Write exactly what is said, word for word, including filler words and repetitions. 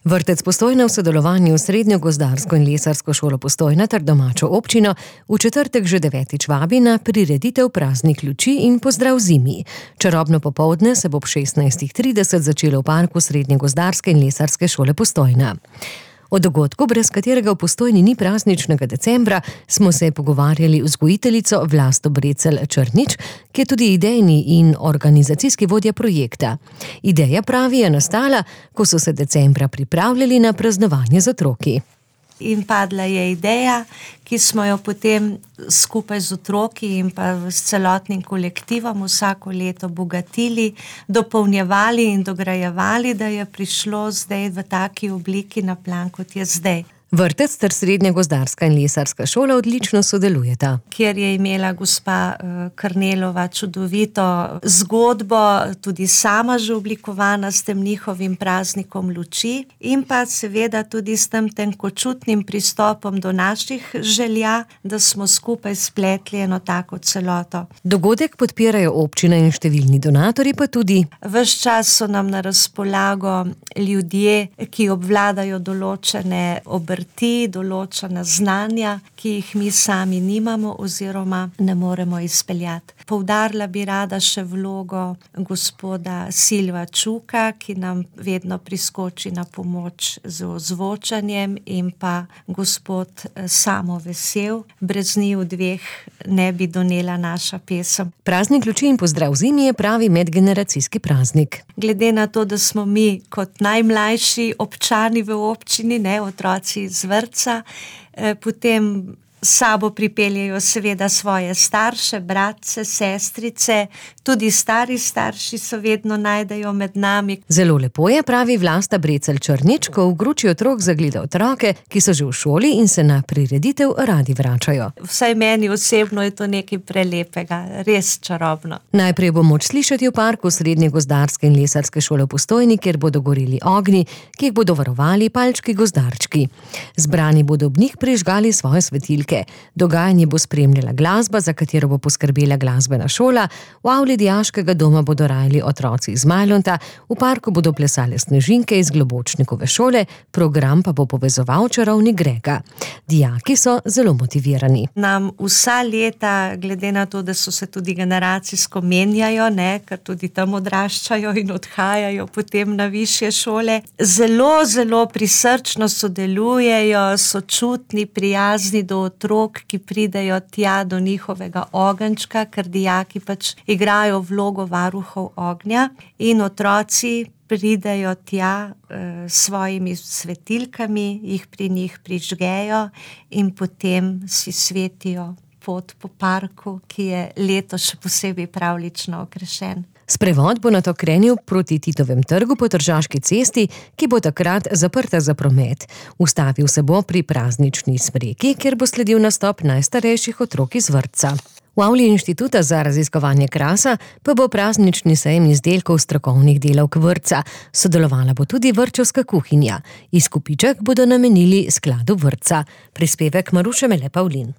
Vrtec Postojna v sodelovanju s Srednjo gozdarsko in lesarsko šolo Postojna ter domačo občino v četrtek že devetič vabi na prireditev Praznik luči in pozdrav zimi. Čarobno popoldne se bo ob šestnajstih trideset začelo v parku Srednje gozdarske in lesarske šole Postojna. O dogodku, brez katerega v Postojni ni prazničnega decembra, smo se pogovarjali vzgojiteljico Vlasto Brecelj Črnič, ki je tudi idejni in organizacijski vodja projekta. Ideja, pravi, je nastala, ko so se decembra pripravljali na praznovanje z otroki. In padla je ideja, ki smo jo potem skupaj z otroki in pa s celotnim kolektivom vsako leto bogatili, dopolnjevali in dograjevali, da je prišlo zdaj v taki obliki na plan, kot je zdaj. Vrtec ter Srednja gozdarska in lesarska šola odlično sodelujeta. Kjer je imela gospa Krnelova čudovito zgodbo, tudi sama že oblikovana s tem njihovim praznikom luči in pa seveda tudi s tem tenkočutnim pristopom do naših želja, da smo skupaj spletli eno tako celoto. Dogodek podpirajo občina in številni donatorji, pa tudi ves čas so nam na razpolago ljudje, ki obvladajo določene obrti, določena znanja, ki jih mi sami nimamo oziroma ne moremo izpeljati. Poudarila bi rada še vlogo gospoda Silva Čuka, ki nam vedno priskoči na pomoč z ozvočanjem, in pa gospod Samo Vesel. Brez njiju dveh ne bi donela naša pesem. Praznik luči in pozdrav zimi je pravi medgeneracijski praznik. Glede na to, da smo mi kot najmlajši občani v občini, ne, otroci iz vrtca, eh, potem sabo pripeljejo seveda svoje starše, bratce, sestrice, tudi stari starši so vedno najdejo med nami. Zelo lepo je, pravi Vlasta Brecelj Črnič, ko v gruči otrok zagleda otroke, ki so že v šoli in se na prireditev radi vračajo. Vsaj meni osebno je to nekaj prelepega, res čarobno. Najprej bo moč slišati v parku Srednje gozdarske in lesarske šole v Postojni, kjer bodo goreli ognji, ki jih bodo varovali palčki gozdarčki. Zbrani bodo ob njih prižgali svoje svetilke. Dogajanje bo spremljala glasba, za katero bo poskrbela glasbena šola, v avli dijaškega doma bodo rajali otroci iz Majlonta, v parku bodo plesale snežinke iz Globočnikove šole, program pa bo povezoval čarovnik Grega. Dijaki so zelo motivirani. Nam vsa leta, glede na to, da so se tudi generacijsko menjajo, ne, ker tudi tam odraščajo in odhajajo potem na višje šole, zelo, zelo prisrčno sodelujejo, sočutni, prijazni do otrok, ki pridejo tja do njihovega ogenčka, ker dijaki pač igrajo vlogo varuhov ognja in otroci pridejo tja s e, svojimi svetilkami, jih pri njih prižgejo in potem si svetijo pot po parku, ki je letos še posebej pravlično okrašen. Sprevod bo nato krenil proti Titovem trgu po Tržaški cesti, ki bo takrat zaprta za promet. Ustavil se bo pri praznični smreki, kjer bo sledil nastop najstarejših otrok iz vrtca. V avli Inštituta za raziskovanje krasa pa bo praznični sejem izdelkov strokovnih delavk vrtca. Sodelovala bo tudi vrtčevska kuhinja. Izkupiček bodo namenili skladu vrtca. Prispevek Maruše Mele Pavlin.